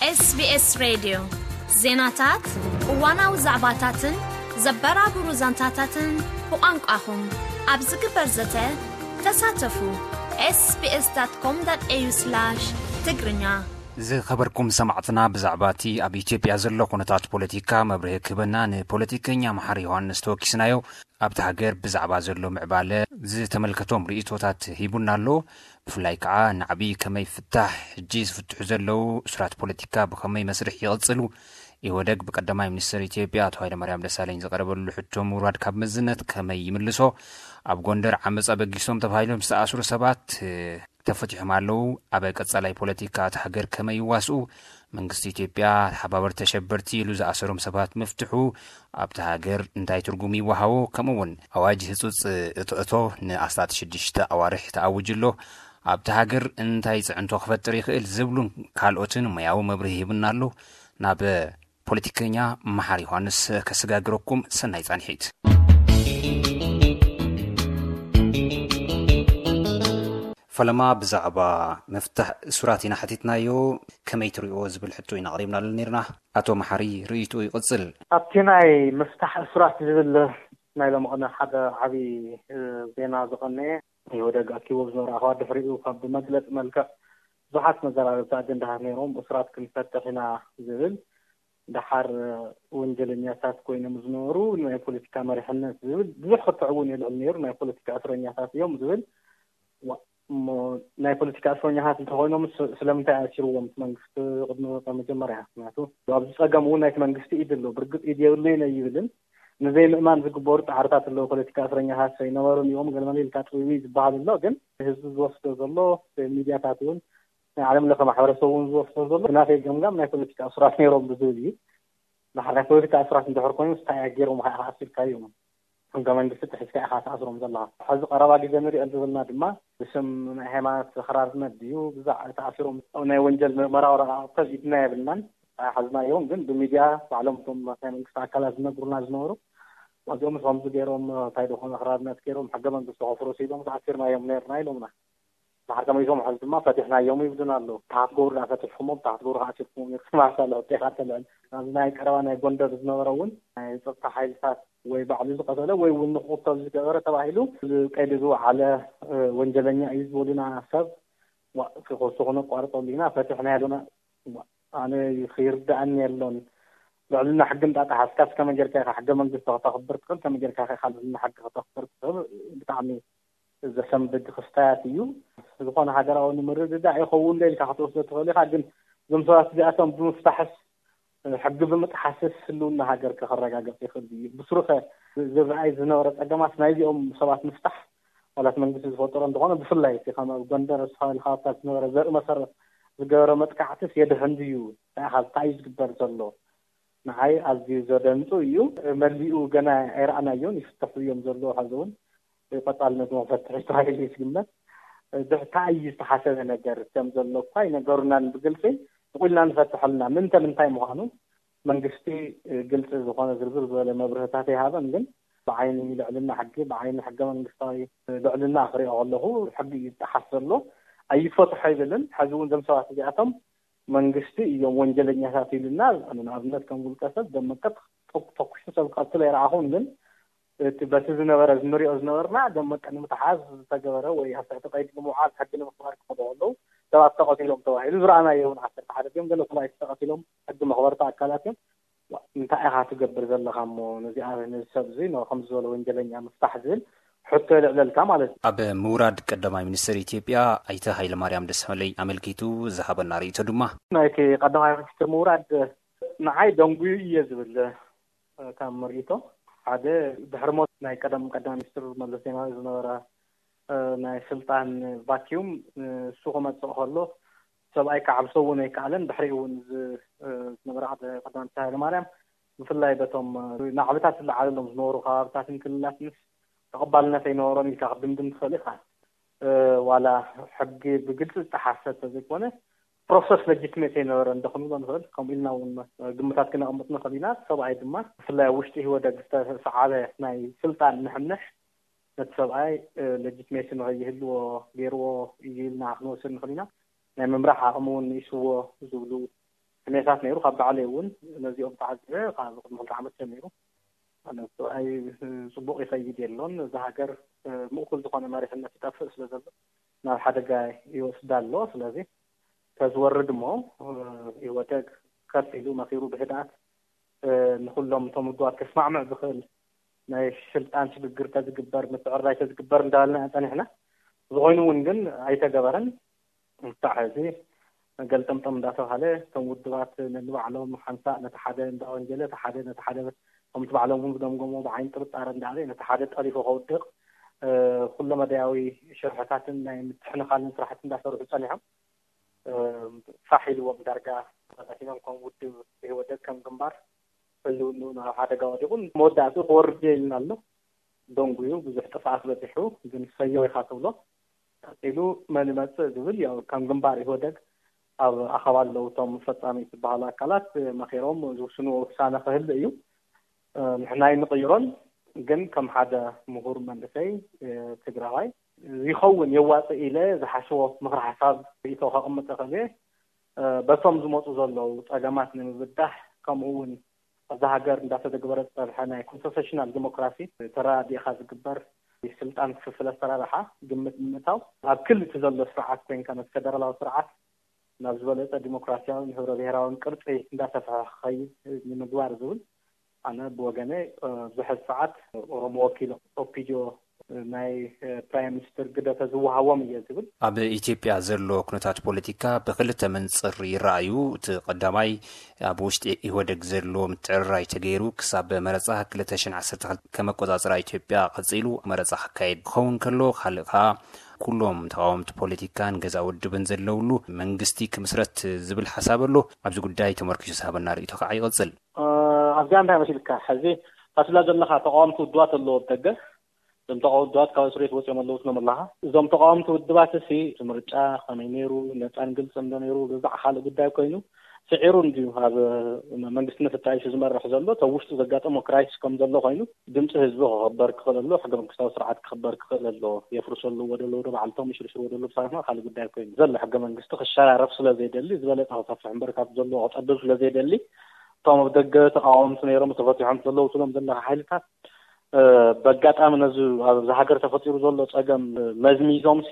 SBS ሬድዮ፣ ዜናታት፣ እዋናዊ ዛዕባታትን ዘበራብሩ ዛንታታትን ብቋንቋኹም ኣብ ዝግበር ዘተ ተሳተፉ። ኤስቢኤስ ዳት ኮም ዳት ኤዩ ስላሽ ትግርኛ። ዝኸበርኩም ሰማዕትና፣ ብዛዕባ እቲ ኣብ ኢትዮጵያ ዘሎ ኩነታት ፖለቲካ መብርሂ ክህበና ንፖለቲከኛ መሓሪ ዮሃንስ ተወኪስናዮ። ኣብቲ ሃገር ብዛዕባ ዘሎ ምዕባለ ዝተመልከቶም ርእይቶታት ሂቡና ኣሎ። ብፍላይ ከዓ ናዕቢ ከመይ ፍታሕ፣ ሕጂ ዝፍትሑ ዘለዉ እሱራት ፖለቲካ ብኸመይ መስርሕ ይቕጽሉ፣ ኢህወደግ ብቀዳማይ ሚኒስትር ኢትዮጵያ ኣቶ ሃይለማርያም ደሳለኝ ዝቐረበሉ ሕቶ ምውራድ ካብ መዝነት ከመይ ይምልሶ፣ ኣብ ጎንደር ዓመፅ ኣበጊሶም ተባሂሎም ዝተኣስሩ ሰባት ተፈቲሖም ኣለዉ። ኣብ ቀጻላይ ፖለቲካ እታ ሃገር ከመይ ይዋስኡ? መንግስቲ ኢትዮጵያ ተሓባበርቲ ተሸበርቲ ኢሉ ዝኣሰሮም ሰባት ምፍትሑ ኣብታ ሃገር እንታይ ትርጉም ይወሃቦ? ከምኡ እውን ኣዋጅ ህጹጽ እቶእቶ ንኣስታት ሽዱሽተ ኣዋርሕ ተኣዊጁ ኣሎ። ኣብታ ሃገር እንታይ ጽዕንቶ ክፈጥር ይኽእል? ዝብሉን ካልኦትን ሞያዊ መብርሂ ሂቡና ኣሎ። ናብ ፖለቲከኛ መሓሪ ዮሃንስ ከሰጋግረኩም። ሰናይ ጻንሒት። ፈለማ ብዛዕባ ምፍታሕ እሱራት ኢና ሓቲትናዮ። ከመይ ትሪእዎ ዝብል ሕቶ ኢና ኣቕሪብናሉ ነይርና። ኣቶ መሓሪ ርእይትኡ ይቕጽል። ኣብቲ ናይ ምፍታሕ እሱራት ዝብል ናይ ሎሚ ቅነ ሓደ ዓብዪ፣ እ፣ ዜና ዝቐነየ፣ ኢህወደግ ኣኪቦ ዝነበረ ኣኻባ ድሕሪኡ ካብ ብመግለጺ መልክዕ ብዙሓት መዘራረብቲ ኣጀንዳታት ነይሮም። እሱራት ክንፈትሕ ኢና ዝብል፣ ደሓር ወንጀለኛታት ኮይኖም ዝነበሩ ናይ ፖለቲካ መሪሕነት ዝብል ብዙሕ ክትዕ እውን የልዕል ነይሩ። ናይ ፖለቲካ እስረኛታት እዮም ዝብል ዋ-፣ እሞ ናይ ፖለቲካ እስረኛታት እንተኾይኖም ስ-፣ ስለምንታይ ኣሲርዎም እቲ መንግስቲ ቅድሚ፣ ቅድሚ መጀመርያ? ምክንያቱ ኣብዚ ጸገም እውን ናይቲ መንግስቲ ኢድ ኣሎ። ብርግጽ ኢድ የብለይን ኣይብልን። ንዘይምእማን ዝግበሩ ጻዕርታት ኣለዉ። ፖለቲካ እስረኛታት ኣይነበሩን እዮም፣ ገለመለ ኢልካ ጥብቢ ዝበሃል ኣሎ። ግን ህዝቢ ዝወስዶ ዘሎ፣ ሚድያታት እውን ናይ ዓለም ለኸ ማሕበረሰብ እውን ዝወስዶ ዘሎ፣ ብናተይ ገምጋም ናይ ፖለቲካ እሱራት ነይሮም ብዝብል እዩ። ድሓር ናይ ፖለቲካ እሱራት እንድሕር ኮይኑ፣ እንታይ ገይሮም ኢኻ ኣሲርካዮም? ሕገ መንግስቲ ጥሒስካ ኢኻ ትኣስሮም ዘለኻ። ሕዚ ቀረባ ግዜ ንሪኦ ዘለና ድማ ብስም ናይ ሃይማኖት ኣኽራርነት ድዩ ብዛዕ ተኣሲሮም፣ ናይ ወንጀል ምርመራ ወረቓቕቲ ኢድና የብልናን፣ ኣይሓዝናዮን። ግን ብሚድያ ባዕሎም እቶም ናይ መንግስቲ ኣካላት ዝነግሩና ዝነበሩ፣ እዚኦም ከምዚ ገይሮም፣ እንታይ ደኾነ ኣኽራርነት ገይሮም፣ ሕገ መንግስቲ ከፍርሱ ኢሎም ተኣሲርናዮም ነይርና ኢሎምና። ድሓር ተመሊሶም ሕዚ ድማ ፈቲሕናዮም ይብሉና ኣለዉ። ታሕቲ ገብሩ ዳ ፈቲሕኩሞም፣ ታሕቲ ገብሩ ከኣሲርኩሞም ነርኩም ኣሳለ ዕጤኻ ተልዕል። ኣብዚ ናይ ቀረባ ናይ ጎንደር ዝነበረ እውን ናይ ጸጥታ ሓይልታት ወይ ባዕሉ ዝቐተለ ወይ እውን ንኽቕተል ዝገበረ ተባሂሉ፣ እዚ ቀይዲ ዝወዓለ፣ እ፣ ወንጀለኛ እዩ ዝበሉና ሰብ፣ ዋ፣ ክኸሱ ክነቋርጠሉ ኢና፣ ፈቲሕናዮ ኣለና። ዋ፣ ኣነ ክይርድኣኒ የሎን። ልዕልና ሕጊ እንዳጠሓስካስ ከመይ ጌርካ ኢኻ ሕገ መንግስቲ ከተኽብር ትኽእል? ከመይ ጌርካ ኢኻ ልዕልና ሕጊ ከተኽብር ትኽእል? ብጣዕሚ ዘሰንብድ ክስታያት እዩ። ዝኾነ ሃገራዊ ንምርድዳእ ይኸውን ዶ ኢልካ ክትወስዶ ትኽእል ኢኻ፣ ግን እዞም ሰባት እዚኣቶም ብምፍታሕስ፣ ሕጊ ብምጥሓስስ ህልውና ሃገር ከረጋግጽ ይኽእል ድዩ? ብስሩ ኸ ዝረኣይ ዝነበረ ጸገማት ናይዚኦም ሰባት ምፍታሕ፣ ዋላስ መንግስቲ ዝፈጠሮ እንተኾነ፣ ብፍላይ እቲ ከም ኣብ ጎንደር ዝተባህለ ከባብታት ዝነበረ ዘርኢ መሰረት ዝገበረ መጥቃዕትስ የድሕን ድዩ? እንታይ ኢኻ፣ እንታይ እዩ ዝግበር ዘሎ? ንዓይ ኣዝዩ ዘደንጹ እዩ። መሊኡ ገና ኣይረኣናዮን፣ ይፍተሑ እዮም ዘለዉ። ሕዚ እውን ቀጻልነት መፈትሒ ተባሂሉ እዩ ዝግመት። እንታይ እዩ ዝተሓሰበ ነገር ከም ዘሎ እኳ ኣይነገሩናን ብግልጺ። ንቑልና ንፈትሐልና ምንተ ምንታይ ምዃኑ መንግስቲ ግልጺ ዝኾነ ዝርዝር ዝበለ መብርህታት ኣይሃበን። ግን ብዓይኒ ልዕልና ሕጊ፣ ብዓይኒ ሕገ መንግስታዊ ልዕልና ክሪኦ ከለኹ ሕጊ እዩ ዝጠሓስ ዘሎ። ኣይፈትሖ ኣይብልን። ሕዚ እውን እዞም ሰባት እዚኣቶም መንግስቲ እዮም ወንጀለኛታት ኢሉና። ንኣብነት ከም ውልቀ ሰብ ደመቀት ተኩ-፣ ተኩሱ ሰብ ክቐትል ኣይረኣኹን። ግን እቲ በቲ ዝነበረ፣ ንሪኦ ዝነበርና ደመቀ ንምትሓዝ ዝተገበረ ወይ ኣብ ትሕቲ ቀይዲ ንምውዓል ሕጊ ንምኽባር ክኸዱ ከለዉ ሰባት ተቐቲሎም ተባሂሉ ዝረኣናዮ እውን ዓሰርተ ሓደ ድዮም ገለ ሰብኣይ ተቐቲሎም ሕጊ መኽበርቲ ኣካላት እዮም። ዋ፣ እንታይ ኢኻ ትገብር ዘለኻ እሞ ነዚ ኣብ፣ ነዚ ሰብ እዚ ን-፣ ከምዚ ዝበለ ወንጀለኛ ምፍታሕ ዝብል ሕቶ የልዕለልካ ማለት እዩ። ኣብ ምውራድ ቀዳማይ ሚኒስትር ኢትዮጵያ ኣይተ ሃይለማርያም ደሳለኝ ኣመልኪቱ ዝሃበና ርእይቶ ድማ፣ ናይቲ ቀዳማይ ሚኒስትር ምውራድ ንዓይ ደንጉዩ እየ ዝብል፣ እ፣ ካብ ምርኢቶ ሓደ ድሕሪ ሞት ናይ ቀደም ቀዳማይ ሚኒስትር መለስ ዜናዊ ዝነበረ፣ እ፣ ናይ ስልጣን ቫኪዩም፣ እ፣ እሱ ክመጽእ ከሎ ሰብኣይ ክዓብሶ እውን ኣይከኣለን። ድሕሪኡ እውን እዚ፣ እ፣ ዝነበረ ሓደ ቀዳማይ ሚኒስትር ሃይለማርያም ብፍላይ በቶም፣ እ፣ ናዕብታት ዝለዓለሎም ዝነበሩ ከባብታትን ክልላትንስ ተቐባልነት ኣይነበሮን ኢልካ ክትድምድም ትኽእል ኢኻ። እ፣ ዋላ ሕጊ ብግልጺ ዝጠሓሰ እንተዘይኮነ ፕሮሰስ ለጂትሜት ኣይነበረን ዶ ክንብሎ ንኽእል። ከምኡ ኢልና እውን ግምታት ክነቐምጥ ንኽእል ኢና። ሰብኣይ ድማ ብፍላይ ኣብ ውሽጢ ህወደግ ዝተሰዓበ ናይ ስልጣን ንሕንሕ ነቲ ሰብኣይ፣ እ፣ ለጂትሜሲ ንኸይህልዎ ገይርዎ እዩ ኢልና ክንወስድ ንኽእል ኢና። ናይ ምምራሕ ዓቕሚ እውን ንኢስዎ ዝብሉ ሕሜታት ነይሩ። ካብ ባዕለይ እውን ነዚኦም ተዓዚበ። ካብ ቅድሚ ክልተ ዓመት ጀሚሩ ኣነ ሰብኣይ ጽቡቕ ይኸይድ የሎን። እዛ ሃገር ምእኩል ዝኾነ መሪሕነት ይጠፍእ ስለ ዘሎ ናብ ሓደጋ ይወስዳ ኣሎ። ስለዚ ተዝወርድ እሞ ኢህወደግ ከፍ ኢሉ መኺሩ ብህድኣት ንኹሎም እቶም ውድባት ከስማዕምዕ ዝኽእል ናይ ስልጣን ሽግግር ተዝግበር፣ ምትዕርራይ ተዝግበር እንዳበልና ኢና ጸኒሕና። ዝኾይኑ እውን ግን ኣይተገበረን። ክሳዕ ሕዚ ገልጠምጠም እንዳተባሃለ እቶም ውድባት ነንባዕሎም ሓንሳእ ነቲ ሓደ እንዳወንጀለ፣ እቲ ሓደ ነቲ ሓደ ከምቲ ባዕሎም እውን ዝገምገሞ ብዓይኒ ጥርጣረ እንዳኣለ ነቲ ሓደ ጠሊፉ ከውድቕ ኩለመዳያዊ ሽርሕታትን ናይ ምትሕንኻልን ስራሕቲ እንዳሰርሑ ጸኒሖም። ፋሕ ኢልዎም ዳርጋ ተበታቲኖም ከም ውድብ ኢህወደግ ከም ግንባር ህልውንኡ ናብ ሓደጋ ወዲቑ መወዳእትኡ ክወርድ እየ ኢልና ኣሎ። ደንጉዩ ብዙሕ ጥፍኣት በፂሑ ግን ሰየው ኢኻ ትብሎ። ቀፂሉ መን ይመፅእ ዝብል ያው ከም ግንባር ኢህወደግ ኣብ ኣኸባ ኣለዉ እቶም ፈፃሚ ዝበሃሉ ኣካላት መኺሮም ዝውስንዎ ውሳነ ክህሉ እዩ። ንሕና ኣይንቕይሮን፣ ግን ከም ሓደ ምሁር መንእሰይ ትግራዋይ ይኸውን የዋፅእ ኢለ ዝሓስቦ ምኽሪ ሓሳብ ርእቶ ከቕምጥ እኽእል እየ። በቶም ዝመፁ ዘለዉ ፀገማት ንምብዳህ ከምኡ እውን ኣብዛ ሃገር እንዳተተግበረ ዝፀንሐ ናይ ኮንሰሴሽናል ዲሞክራሲ ተረዳዲእኻ ዝግበር ስልጣን ክፍፍል ኣሰራርሓ ግምት ብምእታው ኣብ ክሊ እቲ ዘሎ ስርዓት ኮይንካ ነቲ ፈደራላዊ ስርዓት ናብ ዝበለፀ ዲሞክራሲያውን ህብረ ብሔራውን ቅርፂ እንዳሰፍሐ ክኸይድ ንምግባር ዝብል ኣነ ብወገነ ብዙሕ ሰዓት ኦሮሞ ወኪሎም ኦፒዲዮ ናይ ፕራይም ሚኒስትር ግደ ተዝወሃቦም እየ ዝብል። ኣብ ኢትዮጵያ ዘሎ ኩነታት ፖለቲካ ብክልተ መንፅር ይረኣዩ። እቲ ቀዳማይ ኣብ ውሽጢ ኢህወደግ ዘሎ ምትዕርራይ ተገይሩ ክሳብ መረፃ ክልተ ሽሕን ዓሰርተ ክልተ ከመቆፃፅራ ኢትዮጵያ ቀፂሉ መረፃ ክካየድ ክኸውን ከሎ፣ ካልእ ከዓ ኩሎም ተቃወምቲ ፖለቲካን ገዛ ውድብን ዘለውሉ መንግስቲ ክምስረት ዝብል ሓሳብ ኣሎ። ኣብዚ ጉዳይ ተመርኪሱ ዝሃበና ርእይቶ ከዓ ይቐፅል። ኣብዚኣ እንታይ መሲልካ ሕዚ ታስላ ዘለካ ተቃወምቲ ውድባት ኣለዎ ኣብ ደገ። እዞም ተቃወምቲ ውድባት ካብ እስር ቤት ወፂኦም ኣለዉ ትሎም ኣለካ። እዞም ተቃወምቲ ውድባት እሲ እቲ ምርጫ ከመይ ነይሩ፣ ነፃን ግልፅን ዶ ነይሩ፣ ብዛዕ ካልእ ጉዳይ ኮይኑ ስዒሩ እንድዩ ኣብ መንግስትነት ተጣይሹ ዝመርሕ ዘሎ። እቶም ውሽጡ ዘጋጠሞ ክራይሲስ ከም ዘሎ ኮይኑ ድምፂ ህዝቢ ክኸበር ክኽእል ኣሎ፣ ሕገ መንግስታዊ ስርዓት ክኽበር ክኽእል ኣሎ። የፍርሰሉ ወደሎ ዶ ባዕልቶም ይሽርሽሩ ወደሎ ብሳትና ካልእ ጉዳይ ኮይኑ ዘሎ ሕገ መንግስቲ ክሸራረፍ ስለ ዘይደሊ ዝበለፀ ክሰፍሕ እምበር ካብ ዘሎ ክፀብብ ስለ ዘይደሊ እቶም ኣብ ደገ ተቃወምቲ ነይሮም ተፈቲሖም ዘለዉ ትሎም ዘለካ ሓይልታት በጋጣሚ ነዚ ኣብዚ ሃገር ተፈጢሩ ዘሎ ፀገም መዝሚዞም ሲ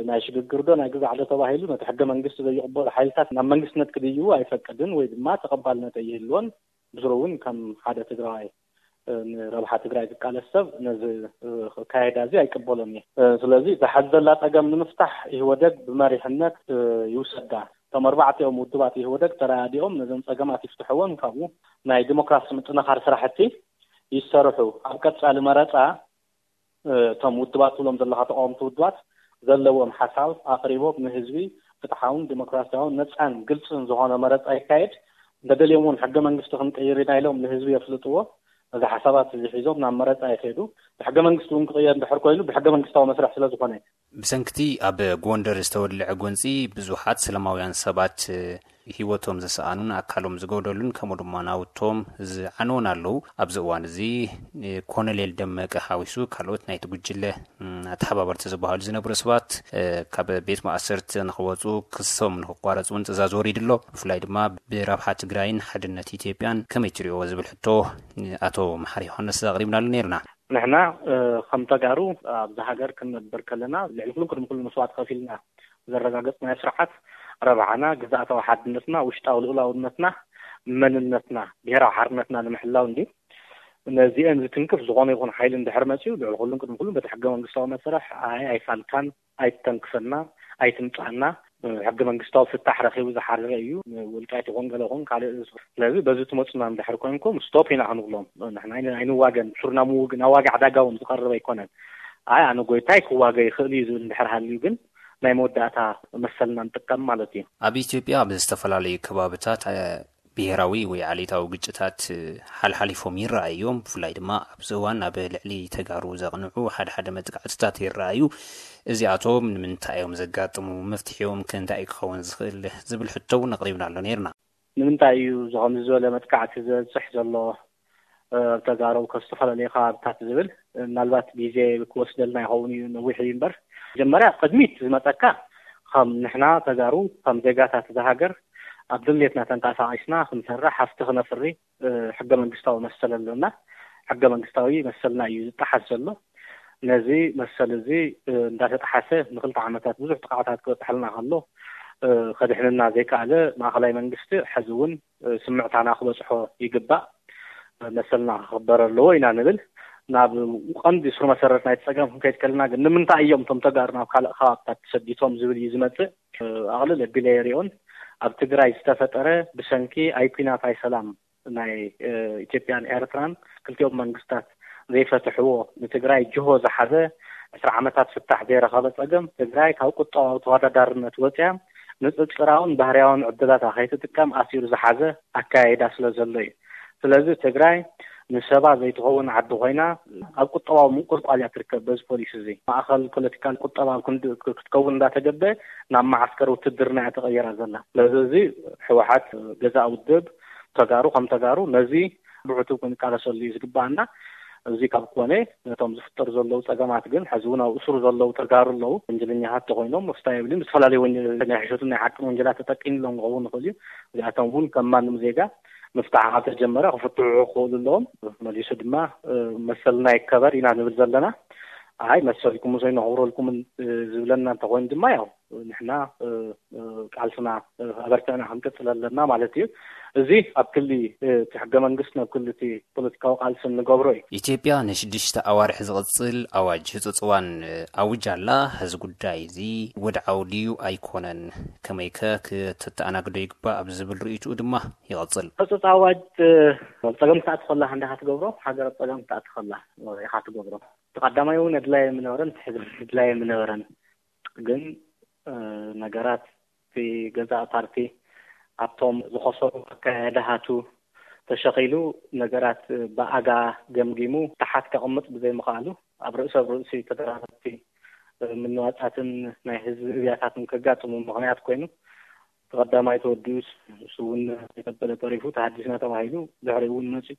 ናይ ሽግግር ዶ ናይ ግዛዕ ዶ ተባሂሉ ነቲ ሕገ መንግስቲ ዘይቕበሉ ሓይልታት ናብ መንግስትነት ክድይቡ ኣይፈቅድን ወይ ድማ ተቐባልነት ኣይህልዎን። ብስሩ እውን ከም ሓደ ትግራዋይ ንረብሓ ትግራይ ዝቃለስ ሰብ ነዚ ኣካይዳ እዚ ኣይቅበሎን እየ። ስለዚ እዛ ሓዚ ዘላ ፀገም ንምፍታሕ ኢህወደግ ብመሪሕነት ይውሰዳ። እቶም ኣርባዕቲኦም ውድባት ኢህወደግ ተረዳዲኦም ነዞም ፀገማት ይፍትሕዎን ካብኡ ናይ ዲሞክራሲ ምጥንኻር ስራሕቲ ይሰርሑ። ኣብ ቀፃሊ መረፃ እቶም ውድባት ትብሎም ዘለካ ተቃወምቲ ውድባት ዘለዎም ሓሳብ ኣቅሪቦም ንህዝቢ ፍትሓውን ዲሞክራሲያውን ነፃን ግልፅን ዝኾነ መረፃ ይካየድ። እንተደልዮም እውን ሕገ መንግስቲ ክንቅይር ኢና ኢሎም ንህዝቢ የፍልጥዎ። እዚ ሓሳባት እዚ ሒዞም ናብ መረፃ ይኸዱ። ብሕገ መንግስቲ እውን ክቅየር እንድሕር ኮይኑ ብሕገ መንግስታዊ መስርሕ ስለ ዝኾነ። ብሰንክቲ ኣብ ጎንደር ዝተወልዐ ጎንፂ ብዙሓት ሰላማውያን ሰባት ህይወቶም ዝሰኣኑን ኣካሎም ዝጎደሉን ከምኡ ድማ ናውቶም ዝዓነውን ኣለዉ። ኣብዚ እዋን እዚ ኮሎኔል ደመቀ ሓዊሱ ካልኦት ናይቲ ጉጅለ ኣተሓባበርቲ ዝበሃሉ ዝነበሩ ሰባት ካብ ቤት ማእሰርቲ ንክወፁ ክሶም ንክቋረፁ እውን ትእዛዝ ወሪዱ ኣሎ። ብፍላይ ድማ ብረብሓ ትግራይን ሓድነት ኢትዮጵያን ከመይ ትሪኦ ዝብል ሕቶ ኣቶ መሓሪ ዮሃንስ ኣቕሪብናሉ ነይርና። ንሕና ከም ተጋሩ ኣብዚ ሃገር ክንነብር ከለና ልዕሊ ኩሉ ቅድሚ ኩሉ መስዋዕቲ ከፊልና ዘረጋገጽናዮ ስርዓት ረብሓና፣ ግዝኣታዊ ሓድነትና፣ ውሽጣዊ ልኡላውነትና፣ መንነትና፣ ብሄራዊ ሓርነትና ንምሕላው እንድዩ። ነዚአን ዝትንክፍ ዝኾነ ይኹን ሓይሊ እንድሕር መጺኡ ልዕሊ ኩሉን ቅድሚ ኩሉን በቲ ሕገ መንግስታዊ መስርሕ ኣይ ኣይፋልካን፣ ኣይትተንክፈና፣ ኣይትምጻና፣ ሕገ መንግስታዊ ፍታሕ ረኺቡ ዝሓረረ እዩ። ውልቃይት ይኹን ገለ ይኹን ካልእ ስለዚ በዚ ትመጹና እንድሕር ኮንኩም ስቶፕ ኢና ክንብሎም። ንሕና ኣይንዋገን፣ ሱርና ምውግ ናብ ዋጋ ዕዳጋ እውን ዝቐርብ ኣይኮነን። ኣይ ኣነ ጎይታይ ክዋገ ይኽእል እዩ ዝብል እንድሕር ሃልዩ ግን ናይ መወዳእታ መሰልና ንጥቀም ማለት እዩ። ኣብ ኢትዮጵያ ኣብ ዝተፈላለዩ ከባብታት ብሄራዊ ወይ ዓሌታዊ ግጭታት ሓልሓሊፎም ይረኣዩ እዮም። ብፍላይ ድማ ኣብዚ እዋን ኣብ ልዕሊ ተጋሩ ዘቕንዑ ሓደ ሓደ መጥቃዕትታት ይረኣዩ። እዚኣቶም ንምንታይ እዮም ዘጋጥሙ? መፍትሒኦም ከ እንታይ ክኸውን ዝኽእል ዝብል ሕቶ እውን ኣቕሪብና ኣሎ ነይርና። ንምንታይ እዩ ከምዚ ዝበለ መጥቃዕቲ ዝበፅሕ ዘሎ? ኣብ ተጋሩ ካብ ዝተፈላለዩ ከባብታት ዝብል ምናልባት ግዜ ክወስደልና ይኸውን እዩ፣ ነዊሕ እዩ እምበር መጀመርያ ቅድሚት ዝመፀካ ከም ንሕና ተጋሩ ከም ዜጋታት እዛ ሃገር ኣብ ድሌትና ተንቀሳቒስና ክንሰርሕ፣ ሃፍቲ ክነፍሪ፣ እ፣ ሕገ መንግስታዊ መሰል ኣለና። ሕገ መንግስታዊ መሰልና እዩ ዝጠሓስ ዘሎ። ነዚ መሰል እዚ፣ እ፣ እንዳተጠሓሰ ንክልተ ዓመታት ብዙሕ ጥቕዓታት ክበፅሐልና ከሎ፣ እ፣ ከድሕንና ዘይከኣለ ማእኸላይ መንግስቲ፣ ሕዚ እውን፣ እ፣ ስምዕታና ክበፅሖ ይግባእ። መሰልና ክኽበር ኣለዎ ኢና ንብል። ናብ ቀንዲ ስሩ መሰረት ናይቲ ፀገም ክንከይድ ከለና ግን፣ ንምንታይ እዮም እቶም ተጋሩ ናብ ካልእ ከባብታት ተሰዲቶም ዝብል እዩ ዝመፅእ። ኣቕልል ኣቢለ የሪኦን፣ ኣብ ትግራይ ዝተፈጠረ ብሰንኪ ኣይ ኲናት ኣይ ሰላም ናይ፣ እ፣ ኢትዮጵያን ኤርትራን፣ ክልቲኦም መንግስታት ዘይፈትሕዎ፣ ንትግራይ ጅሆ ዝሓዘ፣ ዕስራ ዓመታት ፍታሕ ዘይረኸበ ፀገም፣ ትግራይ ካብ ቁጠባዊ ተወዳዳርነት ወፅያ ንፅፅራውን ባህርያውን ዕድላታ ከይትጥቀም ኣሲሩ ዝሓዘ ኣካያይዳ ስለ ዘሎ እዩ። ስለዚ ትግራይ ንሰባ ዘይትኸውን ዓዲ ኮይና፣ ኣብ ቁጠባዊ ምንቁልቋል እያ ትርከብ። በዚ ፖሊሲ እዚ፣ ማእኸል ፖለቲካል ቁጠባ ኣብ ክንዲ ክትከውን እንዳተገበ፣ ናብ መዓስከር ውትድርና እያ ተቐይራ ዘላ። ስለዚ እዚ ህወሓት ገዛእ ውድብ፣ ተጋሩ ከም ተጋሩ ነዚ ብዕቱብ ክንቃለሰሉ እዩ ዝግባኣና። እዚ ካብ ኮነ፣ ነቶም ዝፍጠሩ ዘለዉ ጸገማት ግን፣ ሕዚ እውን ኣብ እስሩ ዘለዉ ተጋሩ ኣለዉ። ወንጀለኛታት ተኮይኖም፣ ክስታይ የብልን፣ ብዝተፈላለዩ ወንጀል ናይ ሕሸትን ናይ ሓቅን ወንጀላት ተጠቂምሎም ክኸውን ይኽእል እዩ። እዚኣቶም እውን ከም ማንም ዜጋ፣ ምፍታሕ ካብ ተጀመረ ክፍትሑ ክኽእሉ ኣለዎም። መሊሱ ድማ፣ እ፣ መሰልና ይከበር ኢና ንብል ዘለና። ኣይ፣ መሰልኩም ምሰይ ነኽብረልኩምን፣ እ፣ ዝብለና እንተኾይኑ ድማ፣ ያው ንሕና፣ እ፣ እ፣ ቃልስና፣ እ፣ ኣበርቲዕና ክንቅጽል ኣለና ማለት እዩ። እዚ ኣብ ክሊ፣ እ፣ እቲ ሕገ መንግስቲ፣ ናብ ክሊ እቲ ፖለቲካዊ ቃልሲ እንገብሮ እዩ። ኢትዮጵያ ንሽዱሽተ ኣዋርሕ ዝቕጽል ኣዋጅ ህጹጽ እዋን፣ እ፣ ኣውጃ ኣላ። እዚ ጉዳይ እዚ ወድዓዊ ድዩ ኣይኮነን? ከመይከ ክተተኣናግዶ ይግባእ? ኣብ ዝብል ርእይትኡ ድማ ይቐጽል። ህጹጽ ኣዋጅ፣ እ፣ ጸገም ክትኣቲ ከላ እንዳ ክትገብሮ፣ ሃገር ኣብ ጸገም ክትኣቲ ከላ ኢኻ ትገብሮ። እቲ ቀዳማይ እውን ኣድላይ ኣይምነበረን፣ እቲ ሕዚ እውን ኣድላይ ኣይምነበረን። ግን፣ እ፣ ነገራት፣ እቲ ገዛእ ፓርቲ ኣብቶም ዝኸሰሩ ኣካያድሃቱ ተሸኺሉ፣ ነገራት ብኣጋ ገምጊሙ ታሓት ከቕምጥ ብዘይምኽኣሉ፣ ኣብ ርእሲ ኣብ ርእሲ ተደራረብቲ፣ እ፣ ምንዋጻትን ናይ ህዝቢ እብያታትን ከጋጥሙ ምኽንያት ኮይኑ፣ እቲ ቀዳማይ ተወዲኡስ፣ ንሱ እውን ከይተበለ ተሪፉ፣ ተሃዲስና ተባሂሉ፣ ድሕሪኡ እውን መጺኡ፣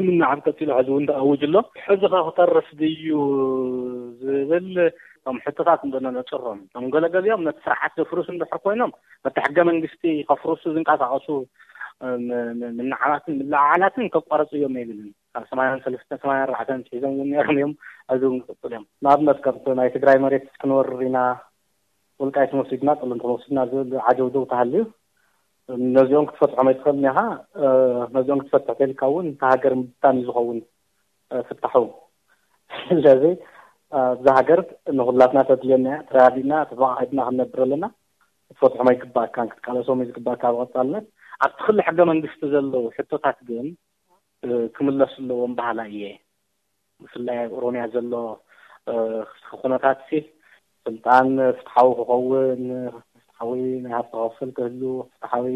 ምናዓብ ቀጺሉ፣ ሕዚ እውን ተኣውጅ ኣሎ። ሕዚ ኸ ክተርፍ ድዩ ዝብል፣ እቶም ሕቶታት እንዶ ነነጽሮም። እቶም ገለገሊኦም ነቲ ስርዓት ዘፍርሱ እንድሕር ኮይኖም፣ ነቲ ሕገ መንግስቲ ከፍርሱ ዝንቀሳቐሱ፣ ም-፣ ም-፣ ምንዓባትን ምልዕዓላትን ከቋርጹ እዮም ኣይብልን። ካብ ሰማንያን ሰለስተን ሰማንያን ኣርባዕተን ሒዞም እውን ነይሮም እዮም፣ ሕዚ እውን ክቕጽሉ እዮም። ንኣብነት፣ ከምቲ ናይ ትግራይ መሬት ክንወርር ኢና፣ ወልቃይት ወሲድና፣ ጸለምቲ ወሲድና ዝብል ዓጀውጀው ተሃልዩ፣ ነዚኦም ክትፈትሖም ኣይትኽእልን ኢኻ። እ፣ ነዚኦም ክትፈትሕ ተልካ እውን፣ እታ ሃገር ምብታን እዩ ዝኸውን፣ እ፣ ፍታሑ። ስለዚ፣ እ፣ እዛ ሃገር ንኹላትና ተድልየና እያ፣ ተረዳዲእና፣ ተፈቓቒድና ክንነብር ኣለና። ክትፈትሖም ኣይግባእካን፣ ክትቃለሶም እዩ ዝግባእካ ብቐጻልነት። ኣብቲ ክሊ ሕገ መንግስቲ ዘለዉ ሕቶታት ግን፣ እ፣ ክምለሱ ኣለዎም በሃላይ እየ። ብፍላይ ኣብ ኦሮምያ ዘሎ፣ እ፣ ኩነታት ሲ፣ ስልጣን ፍትሓዊ ክኸውን፣ ፍትሓዊ ናይ ሃብቲ ክፍፍል ክህሉ፣ ፍትሓዊ፣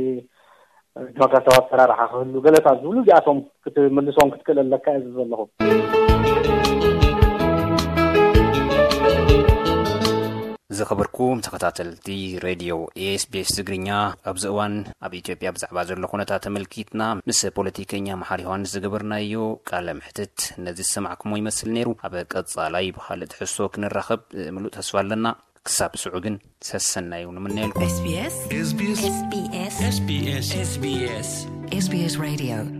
እ፣ ዲሞክራሲያዊ ኣሰራርሓ ክህሉ፣ ገለታት ዝብሉ እዚኣቶም ክትምልሶም ክትክእል ኣለካ እየ ዝብል ዘለኹ። ዝኸበርኩም ተኸታተልቲ ሬድዮ ኤስ ቢ ኤስ ትግርኛ፣ ኣብዚ እዋን ኣብ ኢትዮጵያ ብዛዕባ ዘሎ ኩነታት ተመልኪትና ምስ ፖለቲከኛ መሓሪ ዮሃንስ ዝገበርናዮ ቃለ መሕትት ነዚ ዝሰማዕኩሞ ይመስል ነይሩ። ኣብ ቀጻላይ ብኻልእ ትሕዝቶ ክንራኸብ ምሉእ ተስፋ ኣለና። ክሳብ ስዑ ግን ሰሰናዩ ንምነየልኩም። ኤስ ቢ ኤስ። ኤስ ቢ ኤስ። ኤስ ቢ ኤስ። ኤስ ቢ ኤስ። ኤስ ቢ ኤስ ሬድዮ።